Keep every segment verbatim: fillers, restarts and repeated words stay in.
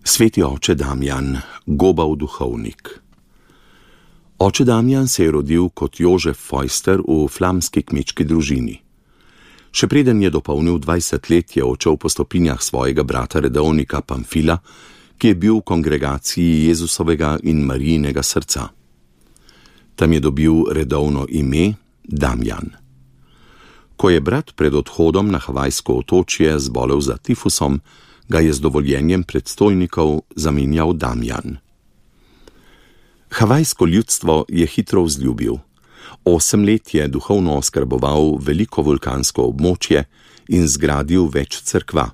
Sveti oče Damjan, Gobav duhovnik. Oče Damjan se je rodil kot Jožef Fojster v flamski kmečki družini. Še preden je dopolnil dvajset let, je odšel po stopinjah svojega brata redovnika Pamfila, ki je bil v kongregaciji Jezusovega in Marijinega srca. Tam je dobil redovno ime Damjan. Ko je brat pred odhodom na havajsko otočje zbolel za tifusom, ga je z dovoljenjem predstojnikov zamenjal Damjan. Havajsko ljudstvo je hitro vzljubil. Osem let je duhovno oskrboval veliko vulkansko območje in zgradil več cerkva.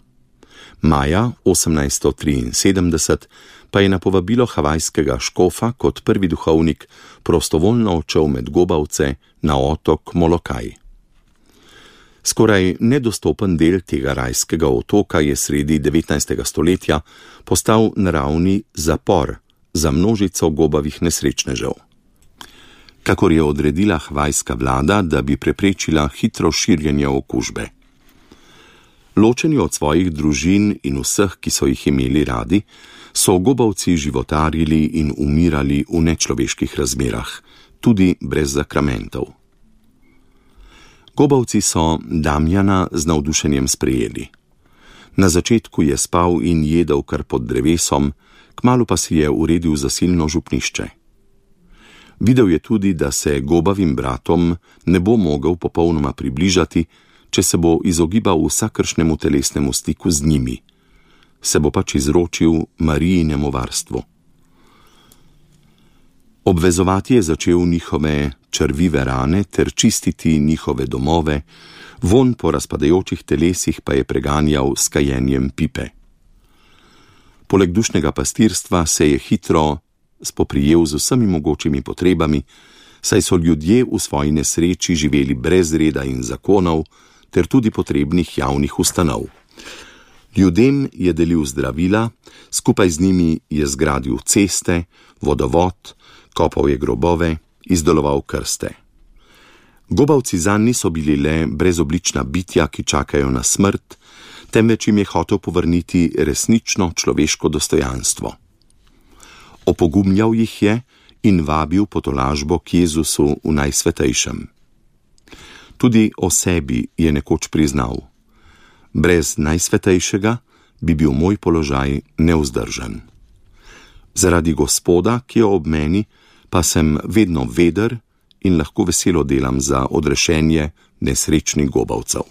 Maja osemnajststo triinsedemdeset pa je na povabilo havajskega škofa kot prvi duhovnik prostovoljno odšel med Gobavce na otok Molokaj. Skoraj nedostopen del tega rajskega otoka je sredi devetnajstega stoletja postal naravni zapor za množico gobavih nesrečnežev. Kakor je odredila havajska vlada, da bi preprečila hitro širjenje okužbe. Ločeni od svojih družin in vseh, ki so jih imeli radi, so Gobavci životarili in umirali v nečloveških razmerah, tudi brez zakramentov. Gobavci so Damjana z navdušenjem sprejeli. Na začetku je spal in jedel kar pod drevesom, kmalu pa si je uredil zasilno župnišče. Videl je tudi, da se Gobavim bratom ne bo mogel popolnoma približati, če se bo izogibal vsakršnemu telesnemu stiku z njimi. Se bo pač izročil Marijinemu varstvu. Obvezovati je začel njihove črvive rane ter čistiti njihove domove, vonj po razpadajočih telesih pa je preganjal s kajenjem pipe. Poleg dušnega pastirstva se je hitro spoprijel z vsemi mogočimi potrebami, saj so ljudje v svoji nesreči živeli brez reda in zakonov ter tudi potrebnih javnih ustanov. Ljudem je delil zdravila, skupaj z njimi je zgradil ceste, vodovod, kopal je grobove, izdeloval krste. Gobavci zanj niso bili le brezoblična bitja, ki čakajo na smrt, temveč jim je hotel povrniti resnično človeško dostojanstvo. Opogumljal jih je in vabil po tolažbo k Jezusu v najsvetejšem. Tudi o sebi je nekoč priznal: brez najsvetejšega bi bil moj položaj nevzdržen. Zaradi Gospoda, ki je ob meni, pa sem vedno veder in lahko veselo delam za odrešenje nesrečnih Gobavcev.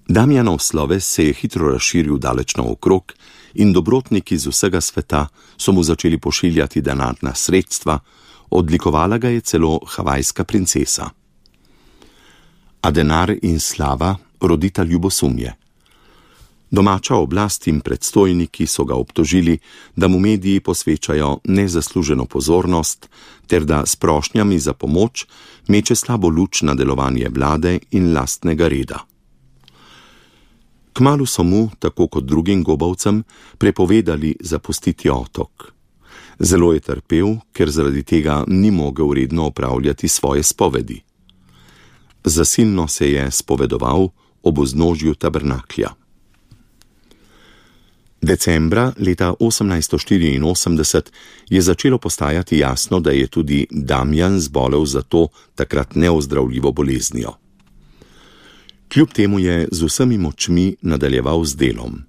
Damjanov sloves se je hitro razširil daleč naokrog in dobrotniki iz vsega sveta so mu začeli pošiljati denarna sredstva, odlikovala ga je celo havajska princesa. A denar in slava rodita ljubosumje. Domača oblast in predstojniki so ga obtožili, da mu mediji posvečajo nezasluženo pozornost ter da s prošnjami za pomoč meče slabo luč na delovanje vlade in lastnega reda. Kmalu so mu, tako kot drugim Gobavcem, prepovedali zapustiti otok. Zelo je trpel, ker zaradi tega ni mogel redno opravljati svoje spovedi. Zasilno se je spovedoval ob vznožju tabernaklja. Decembra leta osemnajststo štiriinosemdeset je začelo postajati jasno, da je tudi Damjan zbolel za to takrat neozdravljivo boleznijo. Kljub temu je z vsemi močmi nadaljeval z delom.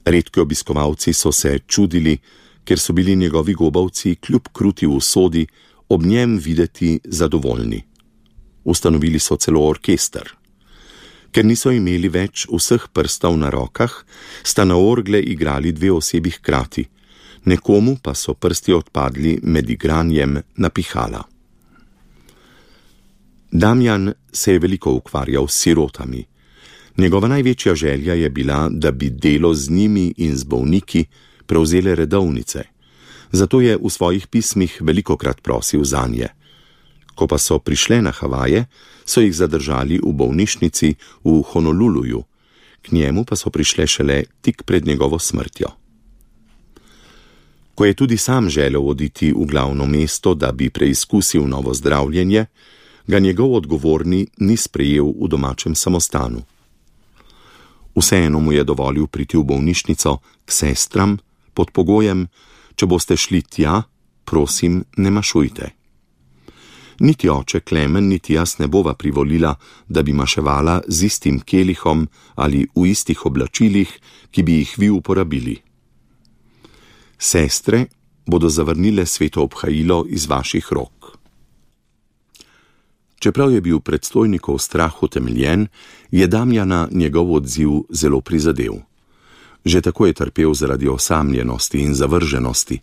Redki obiskovalci so se čudili, ker so bili njegovi Gobavci kljub kruti usodi ob njem videti zadovoljni. Ustanovili so celo orkester. Ker niso imeli več vseh prstov na rokah, sta na orgle igrali dve osebi hkrati, nekomu pa so prsti odpadli med igranjem na pihala. Damjan se je veliko ukvarjal s sirotami. Njegova največja želja je bila, da bi delo z njimi in z bolniki prevzele redovnice, zato je v svojih pismih velikokrat prosil zanje. Ko pa so prišle na Havaje, so jih zadržali v bolnišnici v Honoluluju, k njemu pa so prišle šele tik pred njegovo smrtjo. Ko je tudi sam želel oditi v glavno mesto, da bi preizkusil novo zdravljenje, ga njegov odgovorni ni sprejel v domačem samostanu. Vseeno mu je dovolil priti v bolnišnico k sestram, pod pogojem, če boste šli tja, prosim, ne mašujte. Niti oče Klemen, niti jaz ne bova privolila, da bi maševala z istim kelihom ali v istih oblačilih, ki bi jih vi uporabili. Sestre bodo zavrnile sveto obhajilo iz vaših rok. Čeprav je bil predstojnikov strah utemeljen, je Damjana njegov odziv zelo prizadel. Že tako je trpel zaradi osamljenosti in zavrženosti,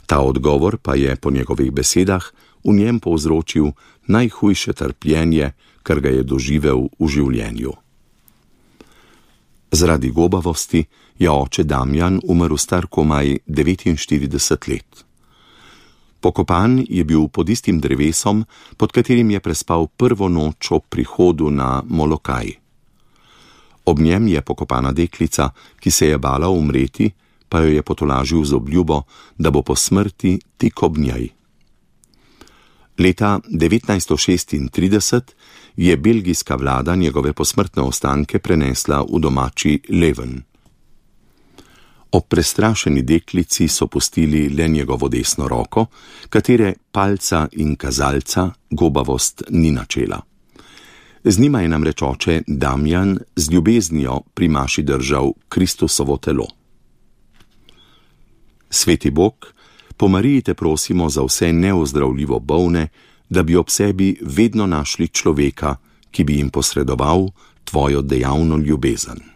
ta odgovor pa je po njegovih besedah v njem povzročil najhujše trpljenje, kar ga je doživel v življenju. Zaradi gobavosti je oče Damjan umrl star komaj devetinštirideset let. Pokopan je bil pod istim drevesom, pod katerim je prespal prvo noč ob prihodu na Molokaj. Ob njem je pokopana deklica, ki se je bala umreti, pa jo je potolažil z obljubo, da bo po smrti tik ob njej. Leta devetnajststo šestintrideset je belgijska vlada njegove posmrtne ostanke prenesla v domači Leven. Ob prestrašeni deklici so pustili le njegovo desno roko, katere palca in kazalca gobavost ni načela. Z njima je namreč oče Damjan z ljubeznijo pri maši držal Kristusovo telo. Sveti Bog, po Mariji te prosimo za vse neozdravljivo bolne, da bi ob sebi vedno našli človeka, ki bi jim posredoval tvojo dejavno ljubezen.